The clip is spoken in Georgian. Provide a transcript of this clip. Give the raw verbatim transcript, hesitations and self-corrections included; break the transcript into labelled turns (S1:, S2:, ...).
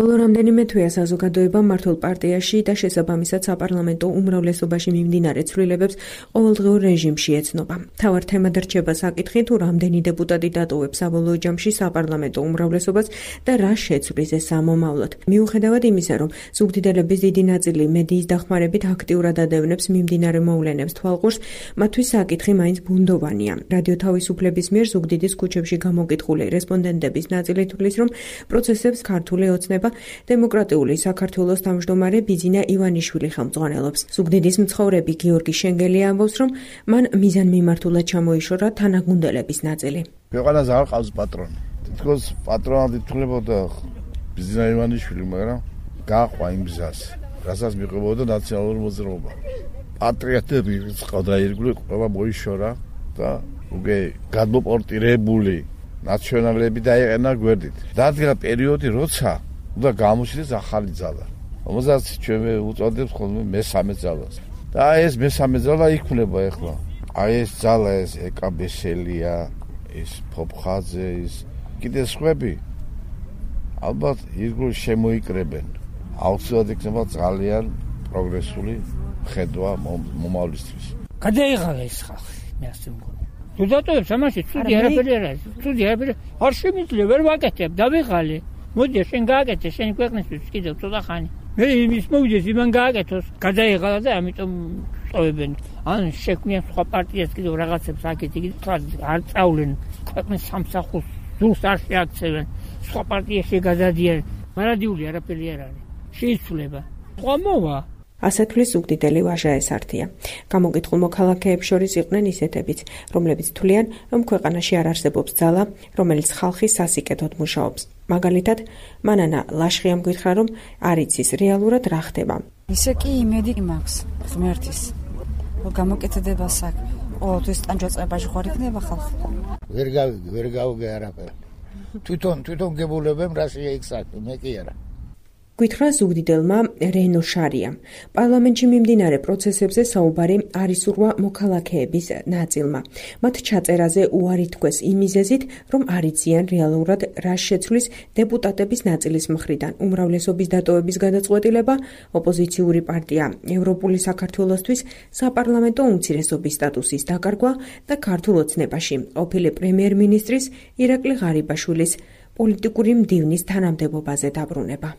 S1: ბოლო რამდენიმე თვეა საზოგადოებამ მართლ პარტიაში და შესაბამისად საპარლამენტო უმრავლესობაში მიმდინარე ცვლილებებს ყოველდღიურ რეჟიმში ეცნობა. მთავარ თემად რჩება საკითხი, თუ რამდენი დეპუტატი დატოვებს საბოლოო ჯამში საპარლამენტო უმრავლესობას და რა შეცვლის ეს სამომავლოდ. მიუხედავად იმისა, რომ ზუგდიდელების დიდი ნაწილი მედიის დახმარებით აქტიურად ადევნებს მიმდინარე მოვლენებს თვალყურს, მათთვის საკითხი მაინც ბუნდოვანია. რადიო თავისუფლების მიერ ზუგდიდის ქუჩებში გამოკითხული რესპონდენტების ნაწილი თვლის, რომ პროცესებს ქართული ოცნება დემოკრატიული საქართველოს თავმჯდომარე ბიძინა ივანიშვილი ხელმძღვანელობს. ზუგდიდის მცხოვრები გიორგი შენგელი ამბობს, რომ მან მიზანმიმართულად ჩამოიშორა თანაგუნდელების ნაწილი.
S2: ქვეყანაზე არ ყავს პატრონი. თითქოს პატრონად ითვლებოდა ბიძინა ივანიშვილი, მაგრამ გაყვა იმ გზას, რასაც მიყვებოდა ნაციონალური მოძრაობა. პატრიოტები ყავდა ირგვლივ, ყველა მოიშორა და უკვე გადმოპორტირებული ნაციონალები დაეყენა გვერდით. დადგა პერიოდი, როცა უნდა გამოჩნდეს ახალი ძალა, რომელსაც ჩვენ უწოდებს ხოლმე მესამე ძალას. და ეს მესამე ძალა იქნება ახლა. აი ეს ძალა, ეს ეკაბესელია, ეს ფოფხაძე, ეს კიდე სხვები ალბათ ირგვლივ შემოიკრებენ. აუცილებლად იქნება ძალიან პროგრესული ხედვა მომავლისთვის.
S3: გადაიღალა ეს ხალხი, მე ასე მგონი. თუ დატოვებს ამაში, ცუდი არაფერი არ არის. ცუდი არაფერი არ შემიძლია, ვერ ვაკეთებ, დავიღალე. მოდი, შენ გააკეთე, შენი ქვეყნისთვის კიდევ ცოტა ხანი. მე იმის მოვიდეს, იმან გააკეთოს, გადაიღალა და ამიტომ წოვებენ. ან შექმნიან სხვა პარტიას კიდევ რაღაცებს აქეთ იქით, არ წავლენ ქვეყნის სამსახურს, ზურს არ შეაქცევენ, სხვა პარტიაში გადადიან. მარადიული არაფერი არ არის. შეიცვლება. სხვა მოვა.
S1: ასე თვლის ზუგდიდელი ვაჟა ესართია. გამოკითხულ მოქალაქეებს შორის იყვნენ ისეთებიც, რომლებიც თვლიან, რომ ქვეყანაში არ არსებობს ძალა, რომელიც ხალხის სასიკეთოდ მუშაობს. მაგალითად, მანანა ლაშხიამ გითხრა, რომ არ იცის რეალურად რა ხდება.
S4: ისე კი იმედი მაქვს ღმერთის, რომ გამოკეთდება საქმე. ყოველთვის ტანჯვაწყებაში ხარ იქნება ხალხი.
S5: ვერ გავიგე, ვერ გავიგე არაფერი. თვითონ თვითონ გებულებენ რა შეიქ საქმე, მე კი არა.
S1: გითხრა ზუგდიდელმა რენო შარიამ. პარლამენტში მიმდინარე პროცესებზე საუბარი არ ისურვა მოქალაქეების ნაწილმა. მათ ჩაწერაზე უარი თქვეს იმ მიზეზით, რომ არ იციან რეალურად რა შეცვლის დეპუტატების ნაწილის მხრიდან. უმრავლესობის დატოვების გადაწყვეტილება ოპოზიციური პარტია ევროპული საქართველოსთვის საპარლამენტო უმცირესობის სტატუსის დაკარგვა და ქართულ ოცნებაში ყოფილი პრემიერ-მინისტრის ირაკლი ღარიბაშვილის პოლიტიკური მდივნის თანამდებობაზე დაბრუნება.